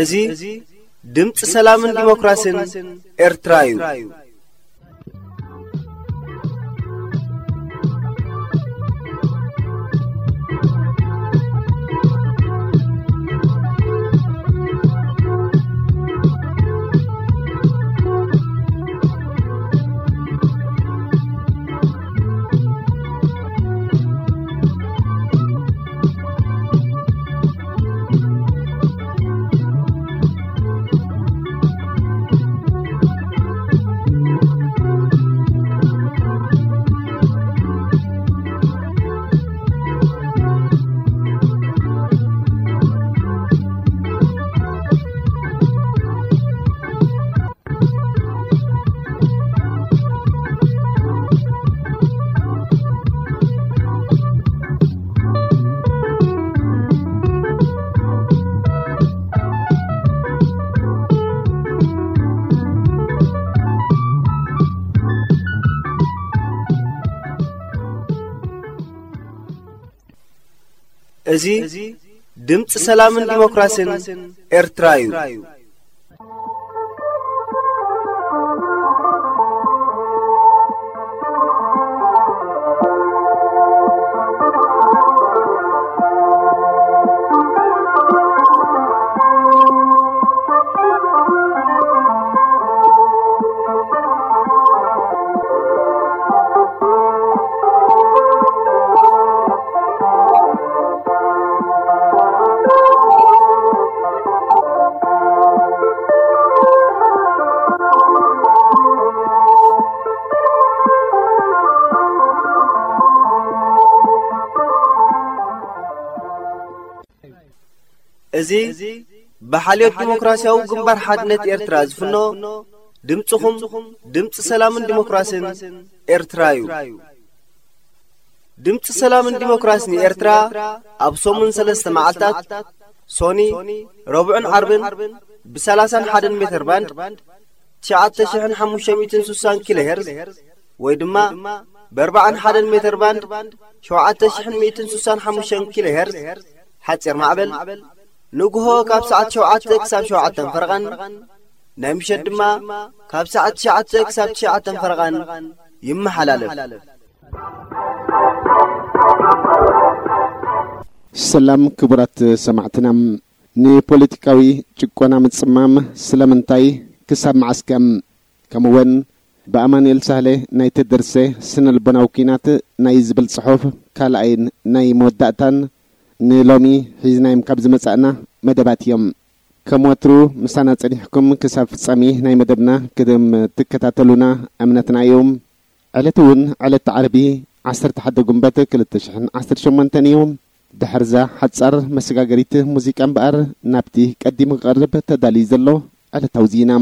እዚ ድምፂ ሰላምን ዲሞክራሲን ኤርትራ እዩ። እዚ ድምፂ ሰላምን ዲሞክራሲን ኤርትራ እዩ። እዚ ብሓልዮት ዲሞክራሲያዊ ግንባር ሓድነት ኤርትራ ዝፍኖ ድምፅኹም ድምፂ ሰላምን ዲሞክራሲን ኤርትራ እዩ። ድምፂ ሰላምን ዲሞክራሲን ኤርትራ ኣብ ሰሙን ሰለስተ መዓልታት ሶኒ፣ ረቡዕን ዓርብን ብ30ን ሓደን ሜተር ባንድ ትሽዓተ ሽሕን ሓሙሽተ ሚእትን ስሳን ኪሎ ሄርዝ ወይ ድማ ብ41 ሜተር ባንድ ሸውዓተ ሽሕን ሚእትን ስሳን ሓሙሽተን ኪሎ ሄርዝ ሓፂር ማዕበል ንግሆ ካብ ሰዓት ሸውዓተ ክሳብ ሸውዓተን ፈረቓን ናይ ምሸት ድማ ካብ ሰዓት ትሽዓተ ክሳብ ትሽዓተን ፈረቓን ይመሓላለፍ። ሰላም ክቡራት ሰማዕትና፣ ንፖለቲካዊ ጭቆና ምጽማም ስለምንታይ ክሳብ መዓስከ? ከምኡውን ብኣማኑኤል ሳህለ ናይ ተደርሰ ስነ ልቦናዊ ኲናት ናይ ዝብል ጽሑፍ ካልኣይን ናይ መወዳእታን ንሎሚ ሒዝናዮም ካብ ዝመጻእና መደባት እዮም። ከም ወትሩ ምሳና ጸኒሕኩም ክሳብ ፍጻሜ ናይ መደብና ክድም ትከታተሉና እምነትና እዩ። ዕለት እውን ዕለት ዓርቢ ዓሰርተ ሓደ ጉንበት ክልተ ሽሕን ዓሰርተ ሸሞንተን እዩ። ድሕርዛ ሓጻር መሰጋገሪት ሙዚቃ እምበኣር ናብቲ ቀዲሙ ክቐርብ ተዳልዩ ዘሎ ዕለታዊ ዜና።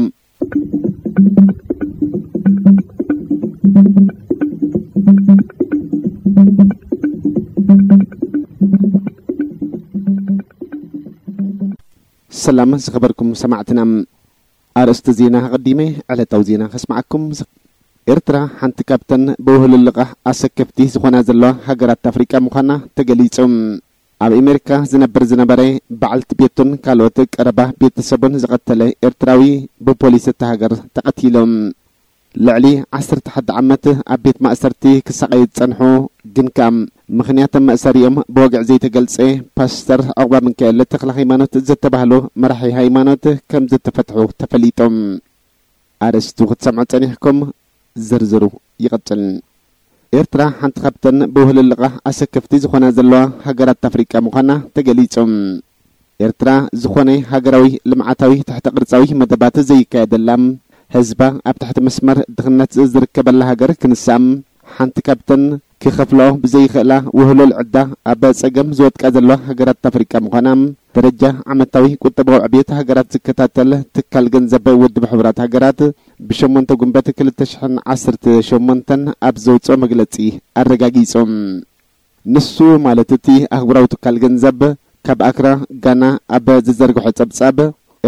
ሰላም ዝኸበርኩም ሰማዕትና፣ ኣርእስቲ ዜና ኣቐዲመ ዕለታዊ ዜና ከስምዓኩም። ኤርትራ ሓንቲ ካብተን ብውህሉል ልቓሕ ኣሰከፍቲ ዝኾና ዘለዋ ሃገራት ኣፍሪቃ ምዃና ተገሊጹ። ኣብ ኣሜሪካ ዝነብር ዝነበረ በዓልቲ ቤቱን ካልኦት ቀረባ ቤተሰቡን ዝቐተለ ኤርትራዊ ብፖሊስ እታ ሃገር ተቐቲሉ። ልዕሊ ዓሰርተ ሓደ ዓመት ኣብ ቤት ማእሰርቲ ክሳቐዩ ዝጸንሑ፣ ግን ከኣ ምኽንያት መእሰሪኦም ብወግዒ ዘይተገልጸ፣ ፓስተር ዑቕባ ሚካኤል ተኽለ ሃይማኖት ዝተባህሉ መራሒ ሃይማኖት ከም ዝተፈትሑ ተፈሊጡ። ኣርእስቱ ክትሰምዑ ጸኒሕኩም፣ ዝርዝሩ ይቕጽል። ኤርትራ ሓንቲ ካብተን ብውህልልቓ ኣሰከፍቲ ዝኾና ዘለዋ ሃገራት ኣፍሪቃ ምዃና ተገሊጹ። ኤርትራ ዝኾነ ሃገራዊ ልምዓታዊ ትሕተ ቅርጻዊ መደባት ዘይካየደላ፣ ህዝባ ኣብ ትሕቲ መስመር ድኽነት ዝርከበላ ሃገር ክንሳ፣ ሓንቲ ካብተን ክኸፍልኦ ብዘይኽእላ ውህሉል ዕዳ ኣብ ጸገም ዝወድቃ ዘለዋ ሃገራት ኣፍሪቃ ምዃና ደረጃ ዓመታዊ ቁጠባዊ ዕብየት ሃገራት ዝከታተል ትካል ገንዘብ ውድብ ሕቡራት ሃገራት ብሸሞንተ ጉንበት ክልተ ሽሕን ዓሰርተ ሸሞንተን ኣብ ዘውጽኦ መግለጺ ኣረጋጊጹ። ንሱ ማለት እቲ ኣህጉራዊ ትካል ገንዘብ ካብ ኣክራ ጋና ኣብ ዝዘርግሖ ጸብጻብ፣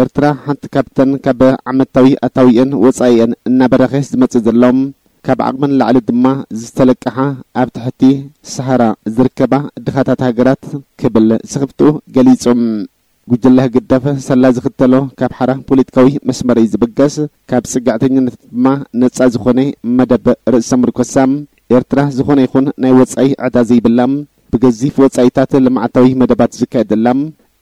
ኤርትራ ሓንቲ ካብተን ካብ ዓመታዊ ኣታዊአን ወጻኢአን እናበረኸ ዝመጽእ ዘሎ፣ ካብ ዓቕመን ላዕሊ ድማ ዝተለቀሓ ኣብ ትሕቲ ሰሃራ ዝርከባ ድኻታት ሃገራት ክብል ስኽፍትኡ ገሊጹ። ጉጅለ ህግደፍ ሰላ ዝኽተሎ ካብ ሓራ ፖለቲካዊ መስመር እዩ ዝብገስ፣ ካብ ጽግዕተኝነት ድማ ነጻ ዝኾነ መደብ ርእሰ ምርኮሳ፣ ኤርትራ ዝኾነ ይኹን ናይ ወጻኢ ዕዳ ዘይብላ፣ ብገዚፍ ወጻኢታት ልምዓታዊ መደባት ዝካየደላ፣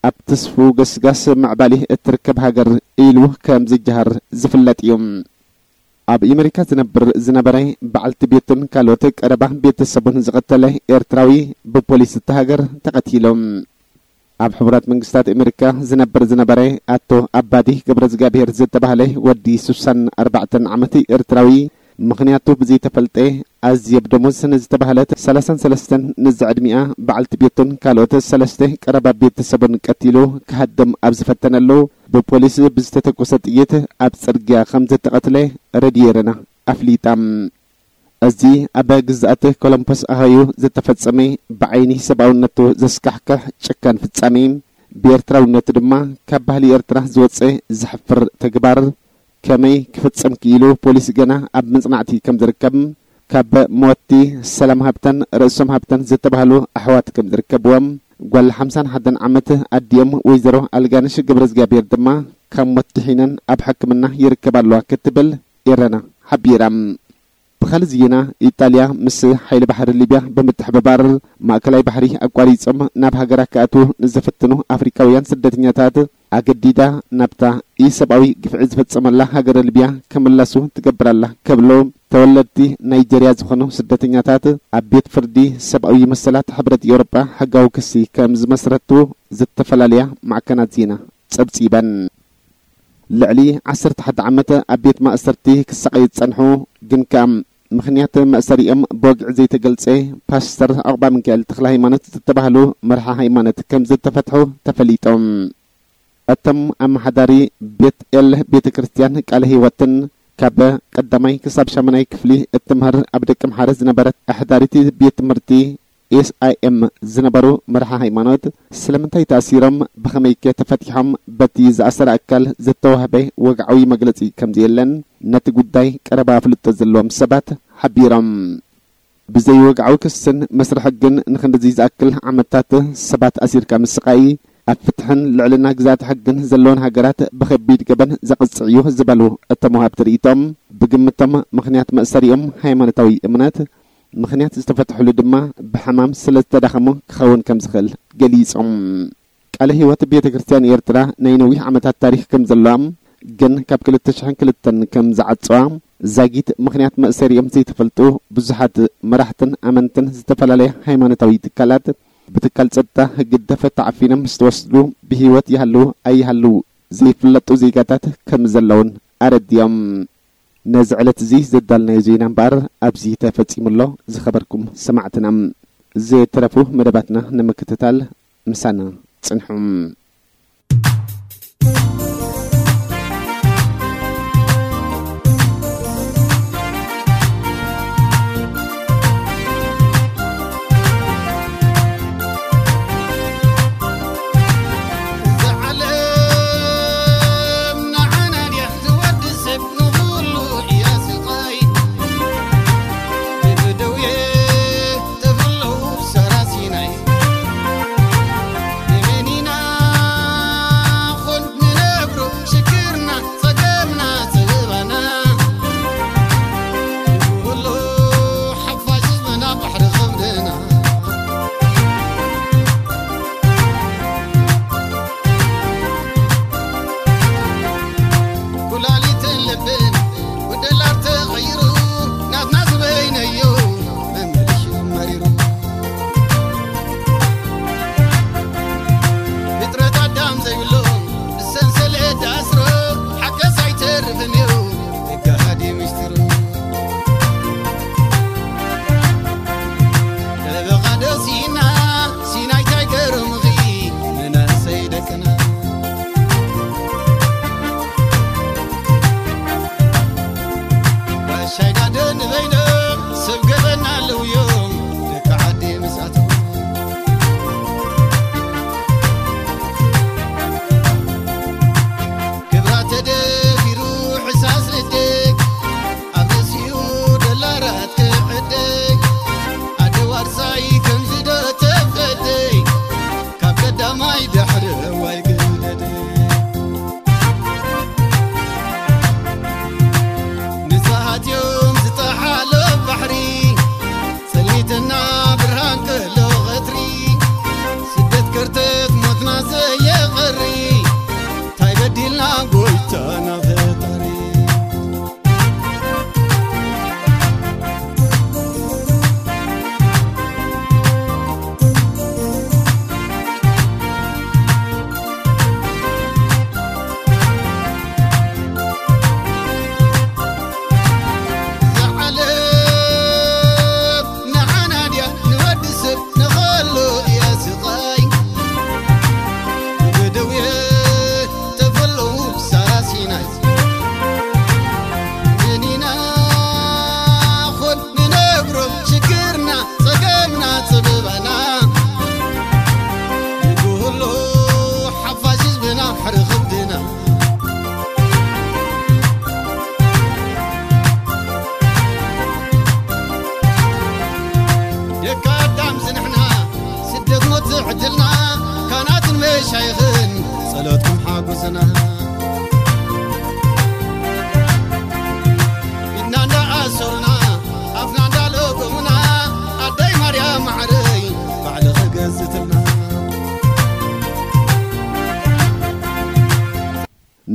ኣብ ትስፉ ገስጋስ ምዕባሊ እትርከብ ሃገር ኢሉ ከም ዝጀሃር ዝፍለጥ እዩ። ኣብ ኣሜሪካ ዝነብር ዝነበረ፣ በዓልቲ ቤቱን ካልኦት ቀረባ ቤተሰቡን ዝቐተለ ኤርትራዊ ብፖሊስ እታ ሃገር ተቐቲሉ። ኣብ ሕቡራት መንግስታት ኣሜሪካ ዝነብር ዝነበረ ኣቶ ኣባዲ ገብረ እግዚኣብሔር ዝተባህለ ወዲ ስሳን ኣርባዕተን ዓመት ኤርትራዊ፣ ምኽንያቱ ብዘይተፈልጠ፣ ኣዝየብ ደሞዝ ንዝተባህለት ሰላሳን ሰለስተን ንዝዕድሚኣ በዓልቲ ቤቱን ካልኦት ሰለስተ ቀረባ ቤተሰቡን ቀቲሉ ክሃድም ኣብ ዝፈተነሉ፣ ብፖሊስ ብዝተተኮሰ ጥይት ኣብ ጽርግያ ከም ዝተቐትለ ሬድዮ ኤረና ኣፍሊጣ። እዚ ኣብ ግዝኣት ኮሎምፖስ ኣሃዮ ዝተፈጸመ፣ ብዓይኒ ሰብኣውነቱ ዘስካሕክሕ ጨካን ፍጻሜ፣ ብኤርትራውነቱ ድማ ካብ ባህሊ ኤርትራ ዝወጸ ዘሕፍር ተግባር፣ ከመይ ክፍጸም ክኢሉ ፖሊስ ገና ኣብ መጽናዕቲ ከም ዝርከብ፣ ካብ መወቲ ሰላም ሃብተን ርእሶም ሃብተን ዝተባህሉ ኣሕዋት ከም ዝርከብዎም፣ ጓል ሓምሳን ሓደን ዓመት ኣዲኦም ወይዘሮ ኣልጋነሽ ገብረ እግዚኣብሔር ድማ ካብ ሞት ድሒነን ኣብ ሕክምና ይርከባ ኣለዋ ክትብል ኤረና ሓቢራ። ብኻልእ ዜና፣ ኢጣልያ ምስ ሓይሊ ባሕሪ ሊብያ ብምትሕብባር ማእከላይ ባሕሪ ኣቋሪጾም ናብ ሃገራ ክኣትዉ ንዝፍትኑ ኣፍሪካውያን ስደተኛታት ኣገዲዳ ናብታ ኢሰብኣዊ ግፍዒ ዝፈጸመላ ሃገረ ሊብያ ክምለሱ ትገብር ኣላ ክብሉ ተወለድቲ ናይጀርያ ዝኾኑ ስደተኛታት ኣብ ቤት ፍርዲ ሰብኣዊ መሰላት ሕብረት ኤውሮጳ ሕጋዊ ክሲ ከም ዝመስረቱ ዝተፈላለያ ማዕከናት ዜና ጸብጺበን። ልዕሊ ዓሰርተ ሓደ ዓመት ኣብ ቤት ማእሰርቲ ክሳቐዩ ዝጸንሑ፣ ግን ከኣ ምኽንያት መእሰሪኦም ብወግዒ ዘይተገልጸ ፓስተር ዑቕባ ሚካኤል ተኽለ ሃይማኖት ዝተባህሉ መርሓ ሃይማኖት ከም ዝተፈትሑ ተፈሊጦም። እቶም ኣመሓዳሪ ቤት ኤል ቤተ ክርስቲያን ቃለ ህይወትን ካብ ቀዳማይ ክሳብ ሻምናይ ክፍሊ እትምህር ኣብ ደቂ ምሓረ ዝነበረት ኣሕዳሪት ቤት ትምህርቲ ኤስ ኣይ ኤም ዝነበሩ መርሓ ሃይማኖት፣ ስለምንታይ ተኣሲሮም፣ ብኸመይከ ተፈቲሖም፣ በቲ ዝኣሰረ ኣካል ዝተዋህበ ወግዓዊ መግለጺ ከም ዘየለን፣ ነቲ ጉዳይ ቀረባ ኣፍልጦ ዘለዎም ሰባት ሓቢሮም። ብዘይ ወግዓዊ ክስን መስርሒ ሕግን ንኽንድዚ ዝኣክል ዓመታት ሰባት ኣሲርካ ምስቓይ፣ ኣብ ፍትሕን ልዕልና ግዝኣት ሕግን ዘለወን ሃገራት ብኸቢድ ገበን ዘቕጽዕ እዩ ዝበሉ እቶም ወሃብቲ ርእይቶም፣ ብግምቶም ምኽንያት መእሰሪኦም ሃይማኖታዊ እምነት፣ ምኽንያት ዝተፈትሕሉ ድማ ብሕማም ስለ ዝተዳኸሙ ክኸውን ከም ዝኽእል ገሊጾም። ቃለ ህይወት ቤተ ክርስቲያን ኤርትራ ናይ ነዊሕ ዓመታት ታሪኽ ከም ዘለዋ፣ ግን ካብ ክልተ ሽሕን ክልተን ከም ዝዓጸዋ፣ ዛጊት ምኽንያት መእሰሪኦም ዘይተፈልጡ ብዙሓት መራሕትን ኣመንትን ዝተፈላለያ ሃይማኖታዊ ትካላት ብትካል ጸጥታ ህግደፍ ተዓፊኖም ዝተወስዱ ብህይወት ይሃልዉ ኣይሃልዉ ዘይፍለጡ ዜጋታት ከም ዘለውን ኣረዲኦም። ነዚ ዕለት እዚ ዘዳልናዮ ዜና እምበኣር ኣብዚ ተፈጺሙ ኣሎ። ዝኸበርኩም ሰማዕትና፣ ዝተረፉ መደባትና ንምክትታል ምሳና ጽንሑ።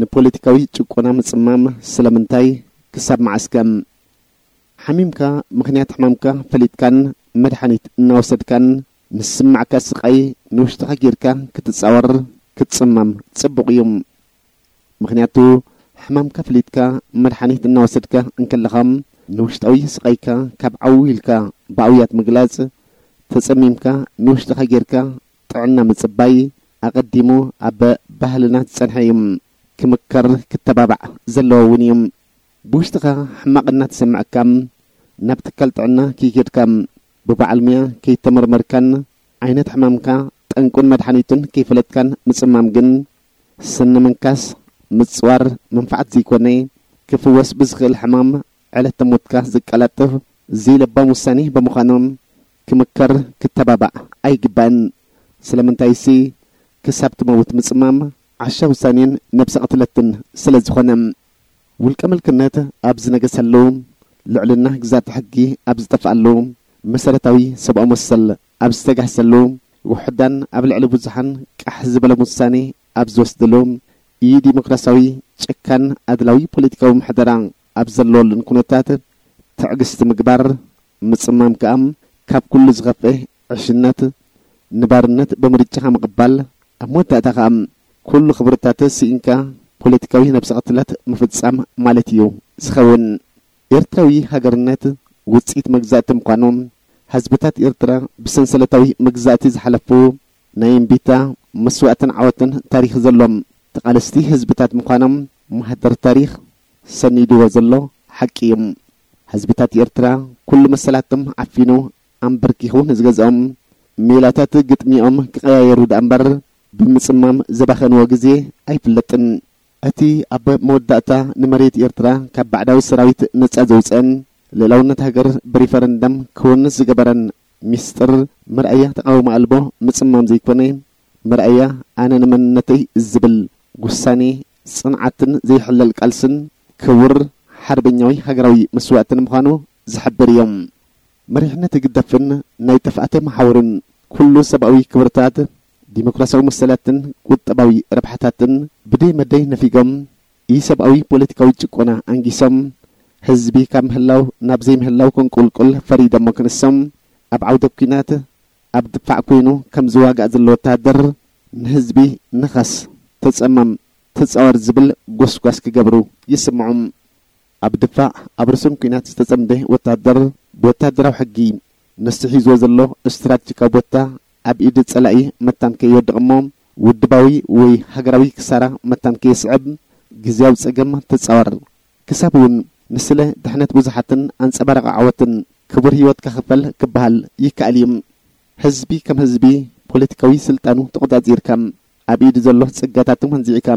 ንፖለቲካዊ ጭቆና ምጽማም ስለምንታይ? ክሳብ መዓስከ? ሓሚምካ ምኽንያት ሕማምካ ፈሊጥካን መድሓኒት እናወሰድካን ንስማዕካ ስቓይ ንውሽጥኻ ጌርካ ክትጻወር ክትጽመም ጽቡቕ እዩ። ምኽንያቱ ሕማምካ ፈሊጥካ መድሓኒት እናወሰድካ እንከለኻ ንውሽጣዊ ስቓይካ ካብ ዓው ኢልካ ብኣውያት ምግላጽ፣ ተጸሚምካ ንውሽጥኻ ጌርካ ጥዕና ምጽባይ ኣቐዲሙ ኣብ ባህልና ዝጸንሐ እዩ። ክምከር ክተባባዕ ዘለዎ እውን እዩ። ብውሽጥኻ ሕማቕ እናተሰምዐካ ናብ ትካል ጥዕና ከይከድካ ብበዓል ሙያ ከይተመርመርካን ዓይነት ሕማምካ ጠንቁን መድሓኒቱን ከይፈለጥካን ምጽማም ግን ስኒ ምንካስ ምጽዋር መንፋዓት ዘይኮነ ክፍወስ ብዝኽእል ሕማም ዕለተ ሞትካ ዝቀላጥፍ ዘይለባም ውሳኔ ብምዃኑ ክምከር ክተባባዕ ኣይግባእን። ስለምንታይሲ ክሳብ ትመውት ምጽማም ዓሻ ውሳኔን ነብሰ ቅትለትን ስለ ዝኾነ። ውልቀ ምልክነት ኣብ ዝነገሰሉ፣ ልዕልና ግዛት ሕጊ ኣብ ዝጠፍኣሉ፣ መሰረታዊ ሰብኣዊ መሰል ኣብ ዝተጋህሰሉ፣ ውሑዳን ኣብ ልዕሊ ብዙሓን ቃሕ ዝበለ ውሳኔ ኣብ ዝወስድሉ፣ ኢ-ዲሞክራሲያዊ ጨካን ኣድላዊ ፖለቲካዊ ምሕደራ ኣብ ዘለወሉን ኩነታት ትዕግስቲ ምግባር፣ ምጽማም ከኣ ካብ ኩሉ ዝኸፍእ ዕሽነት፣ ንባርነት ብምርጫኻ ምቕባል፣ ኣብ መወዳእታ ከኣ ኩሉ ክብርታት ስኢንካ ፖለቲካዊ ነብሰ ቅትለት ምፍጻም ማለት እዩ ዝኸውን። ኤርትራዊ ሃገርነት ውጽኢት መግዛእቲ ምዃኑ፣ ህዝብታት ኤርትራ ብሰንሰለታዊ መግዛእቲ ዝሓለፉ ናይ እምቢታ መስዋእትን ዓወትን ታሪኽ ዘሎም ተቓለስቲ ህዝብታት ምዃኖም ማህደር ታሪኽ ሰኒድዎ ዘሎ ሓቂ እዩ። ህዝብታት ኤርትራ ኩሉ መሰላቶም ዓፊኑ ኣንበርኪኹ ንዝገዝኦም ሜላታት ግጥሚኦም ክቐያየሩ ደኣ እምበር ብምጽማም ዘባኸንዎ ግዜ ኣይፍለጥን። እቲ ኣብ መወዳእታ ንመሬት ኤርትራ ካብ ባዕዳዊ ሰራዊት ነጻ ዘውጽአን ልእላውነት ሃገር ብሪፈረንደም ክወንስ ዝገበረን ሚስጥር መርኣያ ተቓውሞ ኣልቦ ምጽማም ዘይኮነ፣ መርኣያ ኣነ ንመንነተይ ዝብል ውሳኔ፣ ጽንዓትን ዘይሕለል ቃልስን ክቡር ሓርበኛዊ ሃገራዊ መስዋእትን ምዃኑ ዝሕብር እዮም። መሪሕነት ህግደፍን ናይ ጥፍኣተ መሓውርን ኩሉ ሰብኣዊ ክብርታት፣ ዲሞክራሲያዊ መሰላትን ቁጠባዊ ረብሓታትን ብደይ መደይ ነፊጎም፣ ኢሰብኣዊ ፖለቲካዊ ጭቆና ኣንጊሶም፣ ህዝቢ ካብ ምህላው ናብ ዘይምህላው ከንቁልቁል ፈሪዶሞ ክንሶም፣ ኣብ ዓውደ ኲናት ኣብ ድፋዕ ኮይኑ ከም ዝዋጋእ ዘሎ ወተሃደር ንህዝቢ ንኸስ፣ ተጸመም፣ ተጻወር ዝብል ጎስጓስ ክገብሩ ይስምዑ። ኣብ ድፋዕ ኣብ ርሱን ኲናት ዝተጸምደ ወተሃደር ብወተሃደራዊ ሕጊ ንሱ ሒዝዎ ዘሎ ስትራቴጂካዊ ቦታ ኣብ ኢድ ጸላኢ መታን ከይወድቕ እሞ ውድባዊ ወይ ሃገራዊ ክሳራ መታን ከየስዕብ ግዝያዊ ጸገም ተጻወር። ክሳብ እውን ንስለ ድሕነት ብዙሓትን ኣንጸባራቒ ዓወትን ክቡር ህይወትካ ክፈል ክበሃል ይከኣል እዩ። ህዝቢ ከም ህዝቢ ፖለቲካዊ ስልጣኑ ተቖጻጺርካ፣ ኣብ ኢዱ ዘሎ ጸጋታቱ መንዚዕካ፣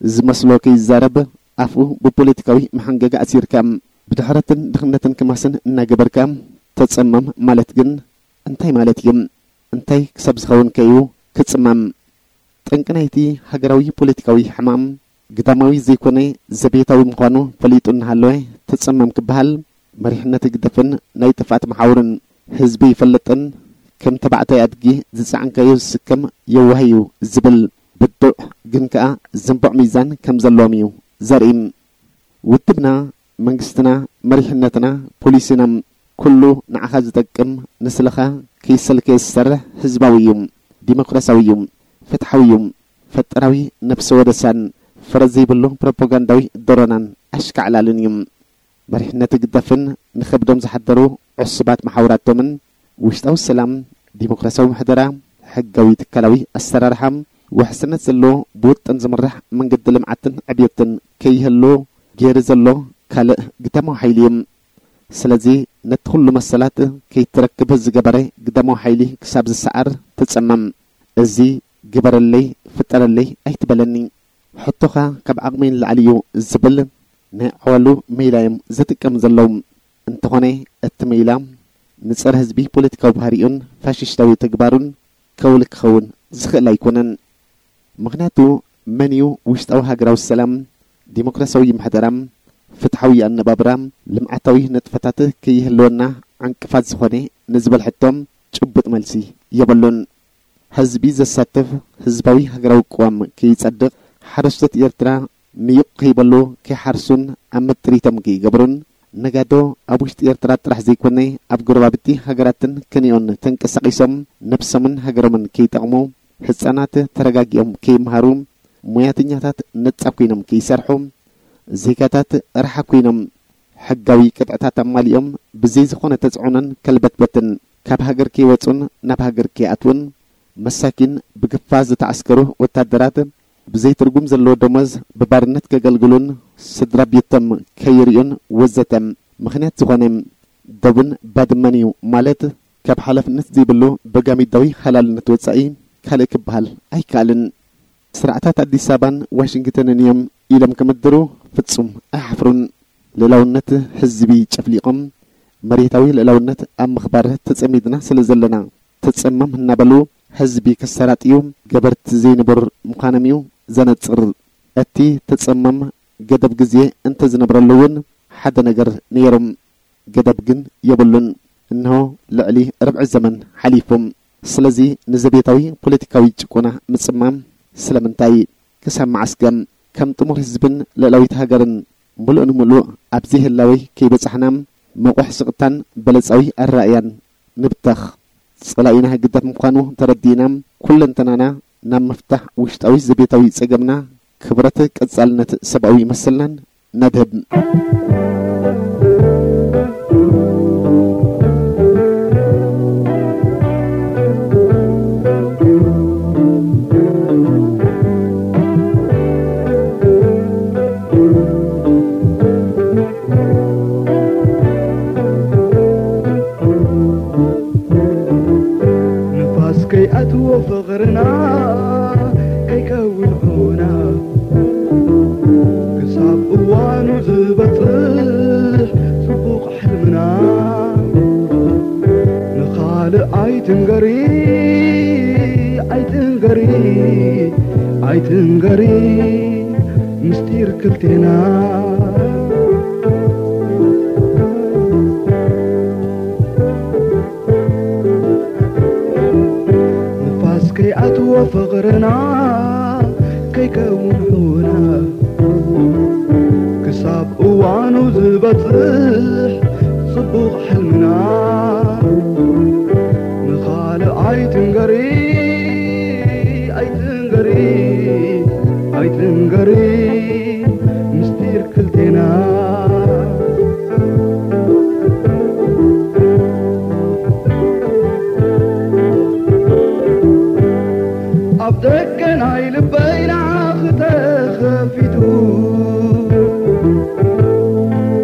ዝመስሎ ከይዛረብ ኣፍኡ ብፖለቲካዊ መሓንገጋ ኣሲርካ፣ ብድሕረትን ድኽነትን ክማስን እናገበርካ ተጸመም ማለት ግን እንታይ ማለት እዩ? እንታይ ክሳብ ዝኸውን ከ እዩ ክጽመም? ጠንቂ ናይቲ ሃገራዊ ፖለቲካዊ ሕማም ግዳማዊ ዘይኮነ ዘቤታዊ ምዃኑ ፈሊጡ እናሃለወ ተጸመም ክበሃል፣ መሪሕነት ህግደፍን ናይ ጥፍኣት መሓውርን ህዝቢ ይፈልጥን ከም ተባዕታይ ኣድጊ ዝጸዓንካዮ ዝስከም የዋህ እዩ ዝብል ብዱዕ ግን ከኣ ዝንቡዕ ሚዛን ከም ዘለዎም እዩ ዘርኢ። ውድብና፣ መንግስትና፣ መሪሕነትና፣ ፖሊሲና፣ ኩሉ ንዓኻ ዝጠቅም፣ ንስለኻ ከይሰልከየ ዝሰርሕ ህዝባዊ እዩ፣ ዲሞክራሲያዊ እዩ፣ ፍትሓዊ እዩ፣ ፈጠራዊ ነብሰ ወደሳን ፍረ ዘይብሉ ፕሮፓጋንዳዊ ዶሮናን ኣሽካዕላልን እዩ። መሪሕነት ህግደፍን ንኸብዶም ዝሓደሩ ዕሱባት መሓውራቶምን ውሽጣዊ ሰላም፣ ዲሞክራሲያዊ ምሕደራ፣ ሕጋዊ ትካላዊ ኣሰራርሓ፣ ውሕስነት ዘለዎ ብውጥን ዝምራሕ መንገዲ ልምዓትን ዕብየትን ከይህሉ ገይሩ ዘሎ ካልእ ግዳማዊ ሓይሊ እዩ። ስለዚ ነቲ ኩሉ መሰላት ከይትረክብ ዝገበረ ግዳማዊ ሓይሊ ክሳብ ዝሰዓር ትጸመም። እዚ ግበረለይ ፍጠረለይ ኣይትበለኒ። ሕቶኻ ካብ ዓቕመይ ንላዕሊ እዩ ዝብል ናይ ዓዋሉ ሜላ እዮም ዝጥቀም ዘለዉ። እንተኾነ እቲ ሜላ ንጸረ ህዝቢ ፖለቲካዊ ባህሪኡን ፋሽስታዊ ተግባሩን ከውሊ ክኸውን ዝኽእል ኣይኮነን። ምኽንያቱ መን እዩ ውሽጣዊ ሃገራዊ ሰላም፣ ዲሞክራሲያዊ ምሕደራ፣ ፍትሓዊ ኣነባብራ፣ ልምዓታዊ ንጥፈታት ከይህልወና ዕንቅፋት ዝኾነ ንዝበል ሕቶ ጭቡጥ መልሲ የብሉን። ህዝቢ ዘሳትፍ ህዝባዊ ሃገራዊ ቅዋም ከይጸድቕ ሓረስቶት ኤርትራ ምዩቕ ከይበሉ ከይሓርሱን ኣብ ምጥሪቶም ከይገብሩን፣ ነጋዶ ኣብ ውሽጢ ኤርትራ ጥራሕ ዘይኮነ፣ ኣብ ጎረባብቲ ሃገራትን ከኒኦን ተንቀሳቒሶም ነብሶምን ሃገሮምን ከይጠቕሙ፣ ህጻናት ተረጋጊኦም ከይመሃሩ፣ ሞያተኛታት ነጻ ኮይኖም ከይሰርሑ፣ ዜጋታት ረሓ ኮይኖም ሕጋዊ ቅጥዕታት ኣማሊኦም ብዘይ ዝኾነ ተጽዕኖን ከልበትበትን ካብ ሃገር ከይወጹን ናብ ሃገር ከይኣትዉን፣ መሳኪን ብግፋ ዝተዓስከሩ ወታደራት ብዘይ ትርጉም ዘለዎ ደሞዝ ብባርነት ከገልግሉን ስድራ ቤቶም ከይርእዩን ወዘተ ምኽንያት ዝኾነ ዶብን ባድመን እዩ ማለት ካብ ሓላፍነት ዘይብሉ በጋሚዳዊ ሃላልነት ወጻኢ ካልእ ክበሃል ኣይከኣልን። ስርዓታት ኣዲስ ኣበባን ዋሽንግተንን እዮም ኢሎም ክምድሩ ፍጹም ኣይሓፍሩን። ልእላውነት ህዝቢ ጨፍሊቖም መሬታዊ ልእላውነት ኣብ ምኽባር ተጸሚድና ስለ ዘለና ተጸመም እናበሉ ህዝቢ ከሰራጥዩ ገበርቲ ዘይንቡር ምዃኖም እዩ ዘነጽር። እቲ ተጸመም ገደብ ግዜ እንተዝነብረሉ እውን ሓደ ነገር ነይሩ። ገደብ ግን የብሉን። እንሆ ልዕሊ ርብዒ ዘመን ሓሊፉ። ስለዚ ንዘቤታዊ ፖለቲካዊ ጭቆና ምጽማም ስለምንታይ? ክሳብ መዓስከ? ከም ጥሙር ህዝብን ልእላዊት ሃገርን ምሉእ ንምሉእ ኣብ ዘይህላወይ ከይበጻሕና መቑሕ ስቕታን በለጻዊ ኣረኣእያን ንብተኽ። ጸላኢና ህግደፍ ምዃኑ ተረዲእና ኩለንተናና ናብ ምፍታሕ ውሽጣዊ ዘቤታዊ ጸገምና ክብረት ቀጻልነት ሰብኣዊ መሰልናን ነድህብ። ንፋስ ከይኣትዎ ፍቕርና ከይከውን ዑና ክሳብ እዋኑ ዝበጽሕ ጽቡቕ ሕልምና ንኻልእ ኣይትንገሪ ኣይትንገሪ ኣይትንገሪ ምስጢር ክልቴና። ንፋስ ከይኣትዎ ፍቕርና ከይከውን ዑና ክሳብ እዋኑ ዝበጽሕ ጽቡቕ ሕልምና ንኻልእ ኣይትንገሪ ኣይትንገሪ ኣይትንገሪ ምስጢር ክልቴና። ኣብ ደገ ናይ ልበይ ንዓኺ ተኸፊቱ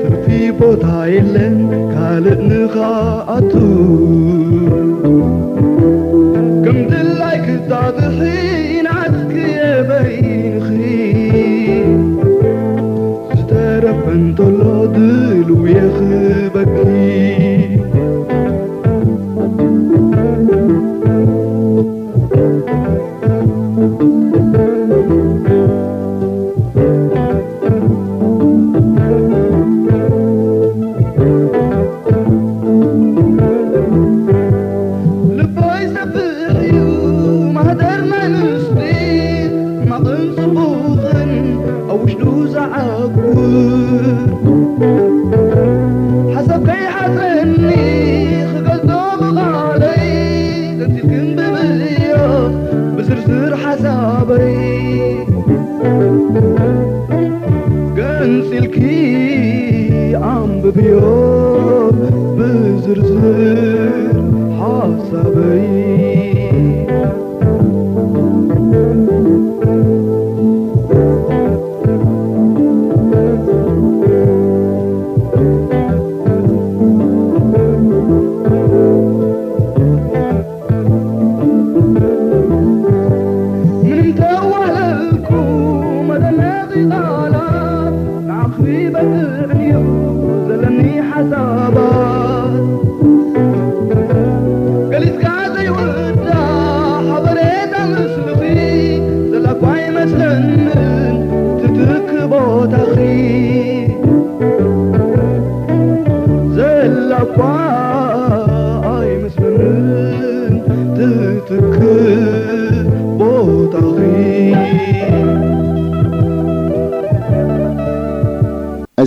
ትርፊ ቦታ የለን ካልእ ንኻኣቱ ከም ድላይ ክጣጥሒ ናትኪ የበይንኺ ዝተረፈ እንተሎ ድልው የኽበኪ። ልበይ ሰፊሕ እዩ ማህደር ናይ ምስጢር ሕማቕን ጽቡቕን ኣብ ውሽጡ ዝዓቁር ሓሳብ ከይሓጸኒ ክገልጾ ብቓለይ ገንጺልክን ብብዮ ብዝርዝር ሓሳበይ ገንጺልኪ ኣንብብዮ ብዝርዝር ሓሳበይ። ምንም ተዋህለልኩ መደነቒ ቃላት ንዓኺ በቅዕንዩ ዘለኒ ሓሳባት ገሊጽካ ዘይውዳእ ሓበሬታ ምስልኺ ዘላኳ ኣይመስለንን ትትክ ቦታኺ ዘላኳ ኣይመስለንን ትትክ ቦታኺ።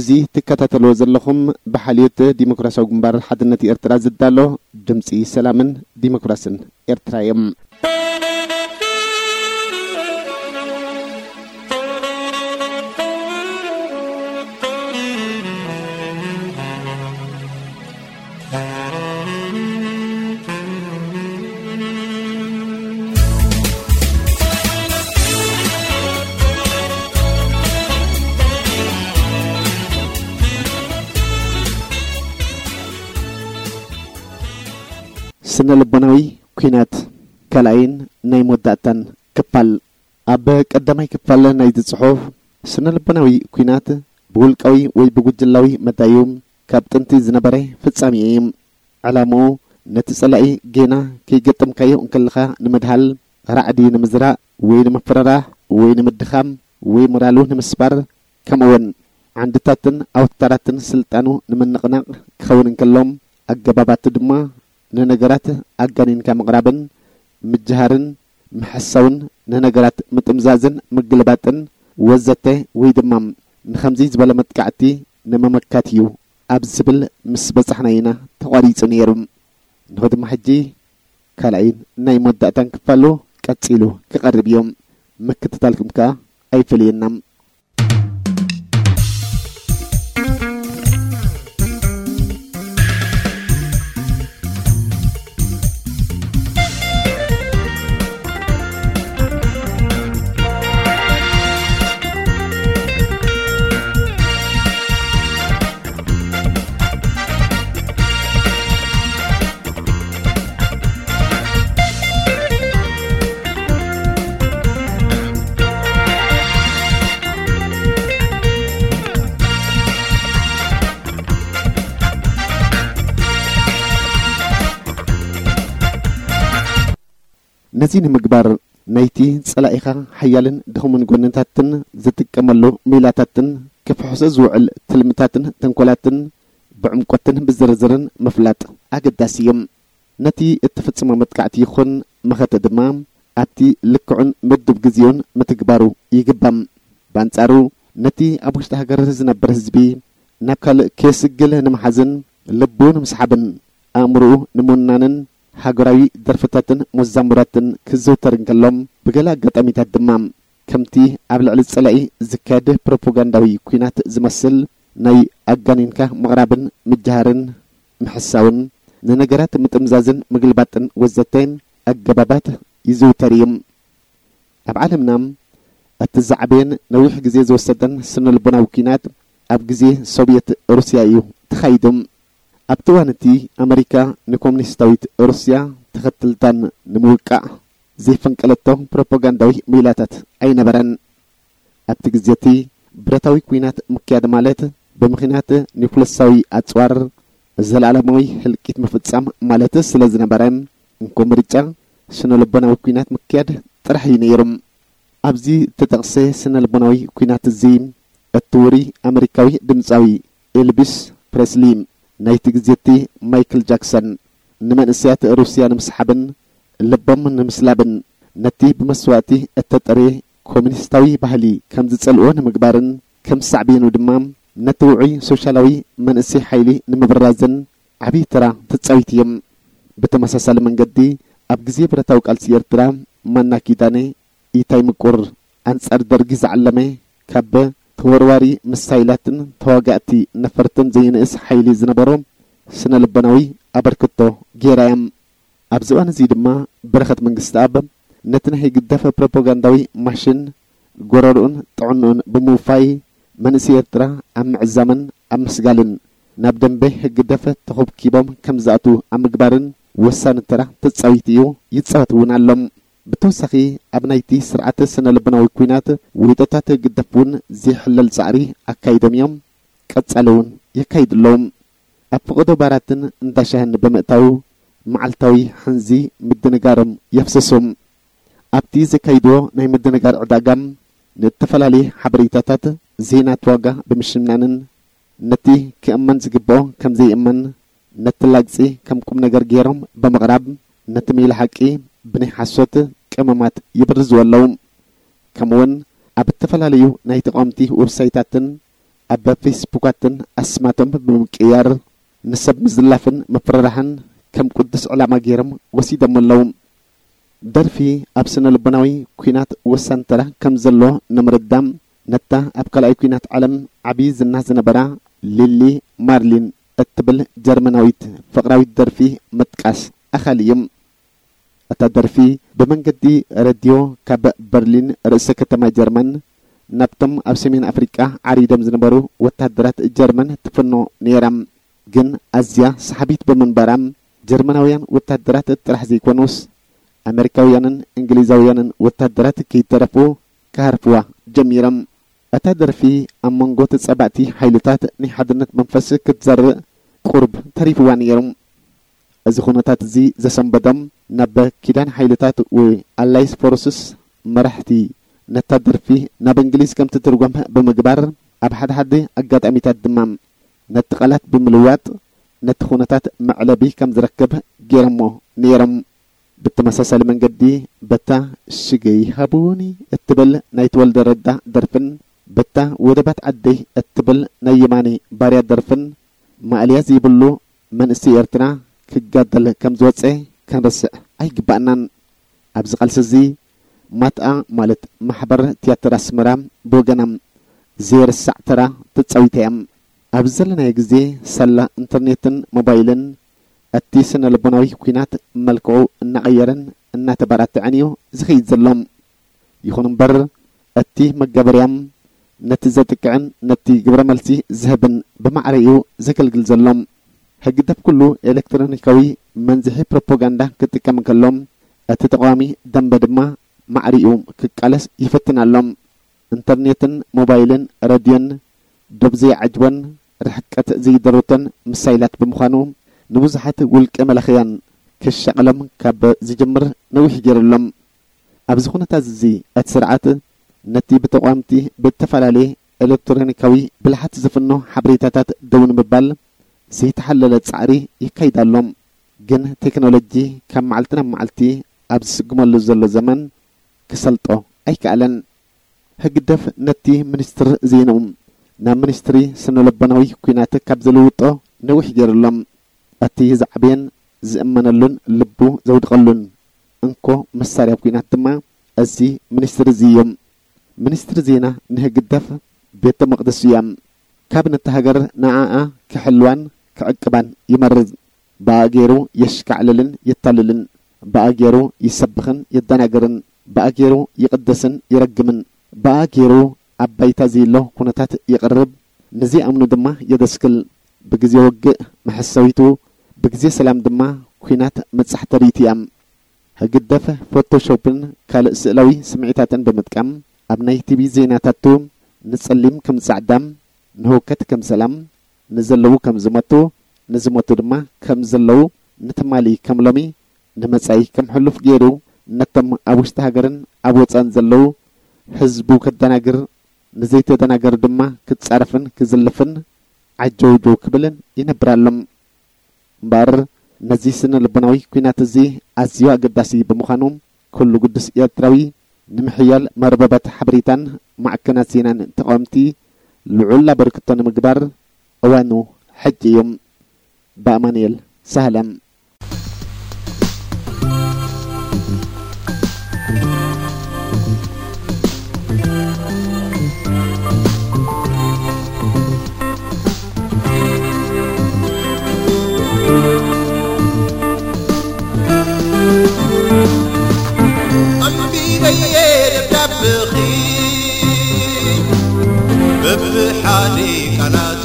እዚ ትከታተልዎ ዘለኹም ብሓልዮት ዲሞክራሲያዊ ግንባር ሓድነት ኤርትራ ዝዳሎ ድምጺ ሰላምን ዲሞክራስን ኤርትራ እዮም። ስነ ልቦናዊ ኲናት፣ ካልኣይን ናይ መወዳእታን ክፋል። ኣብ ቀዳማይ ክፋል ናይዚ ጽሑፍ፣ ስነ ልቦናዊ ኲናት ብውልቃዊ ወይ ብጉጅላዊ መዳዩ ካብ ጥንቲ ዝነበረ ፍጻሜ እዩ። ዕላምኡ ነቲ ጸላኢ ጌና ከይገጠምካዮ እንከለኻ ንምድሃል፣ ራዕዲ ንምዝራእ ወይ ንምፍርራሕ ወይ ንምድኻም ወይ ሞራሉ ንምስባር፣ ከምኡውን ዓንድታትን ኣውታራትን ስልጣኑ ንምንቕናቕ ክኸውን እንከሎ፣ ኣገባባቱ ድማ ንነገራት ኣጋኒንካ ምቕራብን ምጅሃርን ምሕሳውን፣ ንነገራት ምጥምዛዝን ምግልባጥን ወዘተ፣ ወይ ድማ ንኸምዚ ዝበለ መጥቃዕቲ ንምምካት እዩ ኣብ ዝብል ምስ በጻሕና ኢና ተቋሪጹ ነይሩ። ንኹ ድማ ሕጂ ካልኣይን ናይ መወዳእታን ክፋሉ ቀጺሉ ክቐርብ እዩ። ምክትታልኩም ከኣ ኣይፈለየና። ነዚ ንምግባር፣ ናይቲ ጸላኢኻ ሓያልን ድኹምን ጎንታትን ዝጥቀመሉ ሜላታትን ክፍሕሶ ዝውዕል ትልምታትን ተንኮላትን ብዕምቆትን ብዝርዝርን ምፍላጥ ኣገዳሲ እዩ። ነቲ እትፍጽሞ መጥቃዕቲ ይኹን መኸተ ድማ ኣብቲ ልክዑን ምዱብ ግዜኡን ምትግባሩ ይግባእ። ብኣንጻሩ፣ ነቲ ኣብ ውሽጢ ሃገር ዝነብር ህዝቢ ናብ ካልእ ከየስግል ንምሓዝን ልቡ ንምስሓብን ኣእምሮኡ ንምውናንን ሃገራዊ ደርፍታትን መዛሙራትን ክዝውተር እንከሎ፣ ብገለ ኣጋጣሚታት ድማ ከምቲ ኣብ ልዕሊ ጸላኢ ዝካየድ ፕሮፓጋንዳዊ ኲናት ዝመስል ናይ ኣጋኒንካ ምቕራብን ምጅሃርን ምሕሳውን፣ ንነገራት ምጥምዛዝን ምግልባጥን ወዘተ ኣገባባት ይዝውተር እዩ። ኣብ ዓለምና እቲ ዝዓበየን ነዊሕ ግዜ ዝወሰደን ስነ-ልቦናዊ ኲናት ኣብ ግዜ ሶቭየት ሩስያ እዩ ተኻይዱ። ኣብቲ እዋን እቲ ኣመሪካ ንኮሙኒስታዊት ሩስያ ተኸተልታን ንምውቃዕ ዘይፈንቀለቶ ፕሮፓጋንዳዊ ሜላታት ኣይነበረን። ኣብቲ ግዜ እቲ ብረታዊ ኲናት ምክያድ ማለት ብምኽንያት ኒኩለሳዊ ኣጽዋር ዘለኣለማዊ ህልቂት ምፍጻም ማለት ስለ ዝነበረ፣ እንኮ ምርጫ ስነ-ልቦናዊ ኲናት ምክያድ ጥራሕ እዩ ነይሩ። ኣብዚ እተጠቕሰ ስነ-ልቦናዊ ኲናት እዚ፣ እቲ ውሩይ ኣመሪካዊ ድምጻዊ ኤልቪስ ፕሬስሊ፣ ናይቲ ግዜ እቲ ማይክል ጃክሰን፣ ንመንእሰያት ሩስያ ንምስሓብን ልቦም ንምስላብን፣ ነቲ ብመስዋእቲ እተጠርየ ኮሙኒስታዊ ባህሊ ከም ዝጸልኦ ንምግባርን፣ ከም ሳዕቤኑ ድማ ነቲ ውዑይ ሶሻላዊ መንእሰይ ሓይሊ ንምብራዝን ዓቢ ተራ ተጻዊቱ እዩ። ብተመሳሳሊ መንገዲ፣ ኣብ ግዜ ብረታዊ ቃልሲ ኤርትራ፣ ማና ኪዳነ፣ ኢታይ ምቁር፣ ኣንጻር ደርጊ ዝዓለመ፣ ካብ ተወርዋሪ ሚሳይላትን ተዋጋእቲ ነፈርትን ዘይንእስ ሓይሊ ዝነበሮ ስነ-ልቦናዊ ኣበርክቶ ገይራ እያ። ኣብዚ እዋን እዚ ድማ በረኸት መንግስተኣብ ነቲ ናይ ህግደፍ ፕሮፓጋንዳዊ ማሽን ጎረርኡን ጥዕንኡን ብምውፋይ፣ መንእሰይ ኤርትራ ኣብ ምዕዛምን ኣብ ምስጋልን፣ ናብ ደንበ ህግደፍ ተኾብኪቦም ከም ዝኣትዉ ኣብ ምግባርን ወሳኒ ተራ ተጻዊቱ እዩ፣ ይጻወት እውን ኣሎ። ብተወሳኺ፣ ኣብ ናይቲ ስርዓት ስነ-ልቦናዊ ኲናት፣ ውህደታት ህግደፍ እውን ዘይሕለል ጻዕሪ ኣካይዶም እዮም፣ ቀጻሊ እውን የካይዱ ኣለዉ። ኣብ ፈቐዶ ባራትን እንዳ ሻህን ብምእታው፣ መዓልታዊ ሕንዚ ምድንጋሮም የፍስሱ። ኣብቲ ዘካይድዎ ናይ ምድንጋር ዕዳጋ፣ ንእተፈላለየ ሓበሬታታት፣ ዜናት ዋጋ ብምሽናንን፣ ነቲ ክእመን ዝግብኦ ከም ዘይእመን፣ ነቲ ላግጺ ከም ቁም ነገር ገይሮም ብምቕራብ፣ ነቲ ሜላ ሓቂ ብናይ ሓሶት ቀመማት ይብርዝዎ ኣለዉ። ከምኡውን ኣብ እተፈላለዩ ናይ ተቓወምቲ ዌብሳይታትን ኣብ ፌስቡካትን ኣስማቶም ብምቅያር ንሰብ ምዝላፍን ምፍርራሕን ከም ቅዱስ ዕላማ ገይሮም ወሲዶም ኣለዉ። ደርፊ ኣብ ስነ ልቦናዊ ኲናት ወሳኒ ተራ ከም ዘለዎ ንምርዳእ፣ ነታ ኣብ ካልኣይ ኲናት ዓለም ዓብዪ ዝና ዝነበራ ሊሊ ማርሊን እትብል ጀርመናዊት ፍቕራዊት ደርፊ ምጥቃስ ኣኻሊ እዩ። እታ ደርፊ ብመንገዲ ሬድዮ ካብ በርሊን፣ ርእሰ ከተማ ጀርመን፣ ናብቶም ኣብ ሰሜን ኣፍሪቃ ዓሪዶም ዝነበሩ ወተሃደራት ጀርመን ትፍኖ ነይራ። ግን ኣዝያ ሰሓቢት ብምንባራ፣ ጀርመናውያን ወተሃደራት ጥራሕ ዘይኮኑስ፣ ኣመሪካውያንን እንግሊዛውያንን ወተሃደራት ከይተረፉ ክሃርፍዋ ጀሚሮም። እታ ደርፊ ኣብ መንጎ ተጻባእቲ ሓይልታት ናይ ሓድነት መንፈስ ክትዘርእ ቁሩብ ተሪፍዋ ነይሩ። እዚ ኩነታት እዚ ዘሰንበዶም፣ ናብ ኪዳን ሓይልታት ወይ ኣላይስ ፎርስስ መራሕቲ፣ ነታ ደርፊ ናብ እንግሊዝ ከም ትትርጎም ብምግባር፣ ኣብ ሓደ ሓደ ኣጋጣሚታት ድማ ነቲ ቃላት ብምልዋጥ ነቲ ኩነታት መዕለቢ ከም ዝረክብ ገይሮሞ ነይሮም። ብተመሳሳሊ መንገዲ፣ በታ ሽገይ ሃቡኒ እትብል ናይ ተወልደ ረዳ ደርፍን፣ በታ ወደባት ዓደይ እትብል ናይ የማነ ባርያ ደርፍን፣ ማእለያ ዘይብሉ መንእሰይ ኤርትራ ክጋደል ከም ዝወጸ ክንርስዕ ኣይግባእናን። ኣብዚ ቃልሲ እዚ፣ ማትኣ ማለት ማሕበር ትያትር ኣስመራ ብወገና ዘይርሳዕ ተራ ተጻዊታ እያ። ኣብዚ ዘለናዮ ግዜ፣ ሳላ ኢንተርኔትን ሞባይልን፣ እቲ ስነ ልቦናዊ ኲናት መልክዑ እናቐየረን እናተበራትዐን እዩ ዝኸይድ ዘሎ። ይኹን እምበር፣ እቲ መጋበርያ ነቲ ዘጥቅዕን ነቲ ግብረ መልሲ ዝህብን ብማዕረ እዩ ዘገልግል ዘሎ። ህግደፍ ኩሉ ኤሌክትሮኒካዊ መንዝሒ ፕሮፓጋንዳ ክጥቀም እንከሎ፣ እቲ ተቓዋሚ ደንበ ድማ ማዕሪኡ ክቃለስ ይፈትን ኣሎ። ኢንተርኔትን ሞባይልን ረድዮን ዶብ ዘይዓጅቦን ርሕቀት ዘይደርቶን ምሳይላት ብምዃኑ፣ ንብዙሓት ውልቀ መላኽያን ክሻቐሎም ካብ ዝጅምር ነዊሕ ገይሩ ኣሎ። ኣብዚ ኩነታት እዚ፣ እቲ ስርዓት ነቲ ብተቓወምቲ ብእተፈላለየ ኤሌክትሮኒካዊ ብልሓት ዝፍኖ ሓበሬታታት ደው ንምባል ዘይተሓለለ ጻዕሪ የካይድ ኣሎ። ግን ቴክኖሎጂ ካብ መዓልቲ ናብ መዓልቲ ኣብ ዝስጉመሉ ዘሎ ዘመን ክሰልጦ ኣይከኣለን። ህግደፍ ነቲ ሚኒስትር ዜንኡ ናብ ሚኒስትሪ ስነ-ልቦናዊ ኲናት ካብ ዝልውጦ ነዊሕ ገይሩ ኣሎ። እቲ ዝዓበየን ዝእመነሉን ልቡ ዘውድቐሉን እንኮ መሳርያ ኲናት ድማ እዚ ሚኒስትሪ እዚ እዩ። ሚኒስትሪ ዜና ንህግደፍ ቤተ መቕደሱ እያ። ካብ ነታ ሃገር ንዓኣ ክሕልዋን ክዕቅባን ይመርጽ። ብኣ ገይሩ የሽካዕልልን የታልልን። ብኣ ገይሩ ይሰብኽን የደናግርን። ብኣ ገይሩ ይቕድስን ይረግምን። ብኣ ገይሩ ኣብ ባይታ ዘየሎ ኩነታት የቕርብ። ንዘይኣምኑ ድማ የደስክል። ብግዜ ውግእ መሐሰዊቱ፣ ብግዜ ሰላም ድማ ኲናት መጻሕተሪቱ እያ። ህግደፍ ፎቶሾፕን ካልእ ስእላዊ ስምዒታትን ብምጥቃም፣ ኣብ ናይ ቲቪ ዜናታቱ ንጸሊም ከም ጻዕዳ፣ ንህውከት ከም ሰላም፣ ንዘለዉ ከም ዝሞቱ፣ ንዝሞቱ ድማ ከም ዘለዉ፣ ንትማሊ ከም ሎሚ፣ ንመጻኢ ከም ሕሉፍ ገይሩ፣ ነቶም ኣብ ውሽጢ ሃገርን ኣብ ወጻእን ዘለዉ ህዝቡ ከደናግር፣ ንዘይተደናገሩ ድማ ክጻረፍን ክዝልፍን ዓጀውጀው ክብልን ይነብር ኣሎ። እምበኣር፣ ነዚ ስነ ልቦናዊ ኲናት እዚ ኣዝዩ ኣገዳሲ ብምዃኑ፣ ኩሉ ግዱስ ኤርትራዊ ንምሕያል መርበባት ሓበሬታን ማዕከናት ዜናን ተቓወምቲ ልዑል ኣበርክቶ ንምግባር እዋኑ ሕጂ እዩ። ብኣማኑኤል ሳህለ። ኣንቢበየ ደብዳብኺ በብሓደ ቃላቱ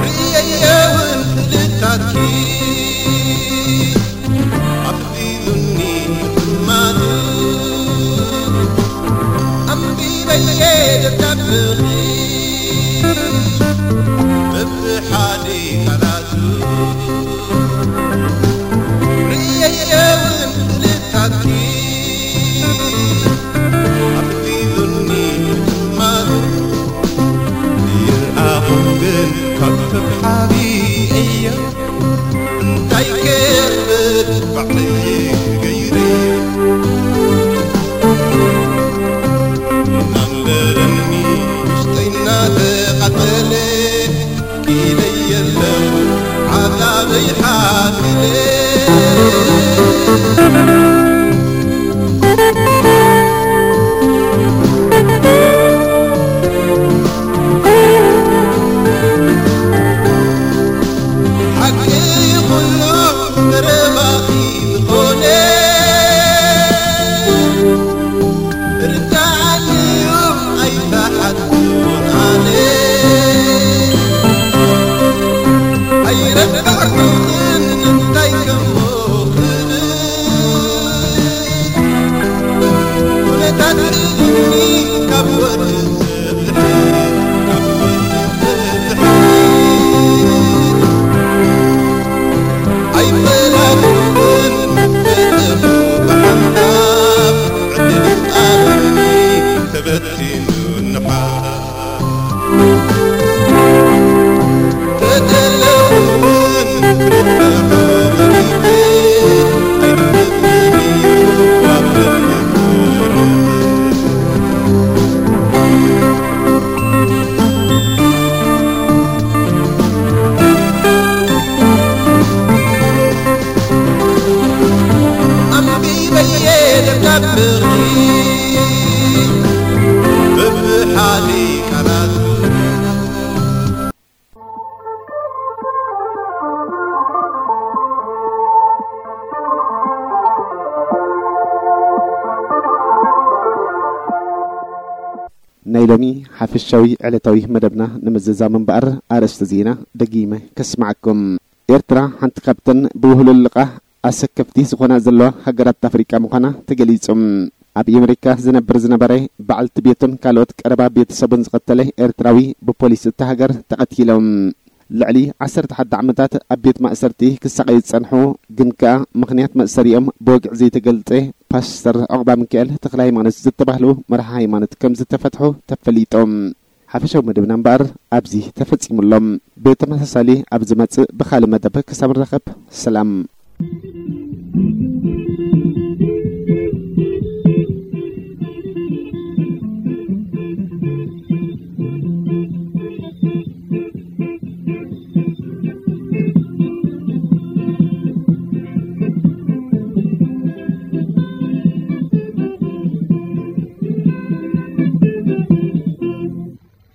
ርእየየ እውን ስእልታትኪ ኣፍዚዙኒ ምጥማቱ ኣንቢበየ ደብዳብኺ በብሓደ ቃላቱ ርእየየ እውን ስእልታትኪ ኣፍዚዙኒ ምጥማቱ ይርኣኹ ግን ካብ ከብሓቢ እየ እንታይ ክብል ባዕለይ ገይረዮ ናንበረኒ ብርሂ ብብሓዲ ቃላት ናይ ሎሚ ሓፈሻዊ ዕለታዊ መደብና ንምዝዛም እምበኣር፣ ኣርእስቲ ዜና ደጊመ ከስምዓኩም። ኤርትራ ሓንቲ ካብተን ብውህሉል ልቓሕ ኣሰከፍቲ ዝኾና ዘለዋ ሃገራት ኣፍሪቃ ምዃና ተገሊጹ። ኣብ ኣሜሪካ ዝነብር ዝነበረ፣ በዓልቲ ቤቱን ካልኦት ቀረባ ቤተሰቡን ዝቐተለ ኤርትራዊ ብፖሊስ እታ ሃገር ተቐቲሎም። ልዕሊ ዓሰርተ ሓደ ዓመታት ኣብ ቤት ማእሰርቲ ክሳቐዩ ዝጸንሑ፣ ግን ከኣ ምኽንያት መእሰሪኦም ብወግዒ ዘይተገልጸ፣ ፓስተር ዑቕባሚካኤል ተኽለሃይማኖት ዝተባህሉ መራሒ ሃይማኖት ከም ዝተፈትሑ ተፈሊጦም። ሓፈሻዊ መደብና እምበኣር ኣብዚ ተፈጺሙ ኣሎ። ብተመሳሳሊ ኣብ ዝመጽእ ብኻልእ መደብ ክሳብ ንራኸብ፣ ሰላም።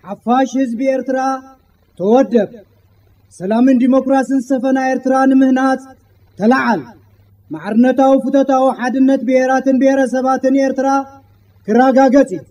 ሓፋሽ ህዝቢ ኤርትራ፣ ተወደብ። ሰላምን ዲሞክራስን ዝሰፈና ኤርትራ ንምህናጽ ተለዓል። ማዕርነታዊ ፍቶታዊ ሓድነት ብሄራትን ብሄረሰባትን ኤርትራ ክረጋገጽ እዩ።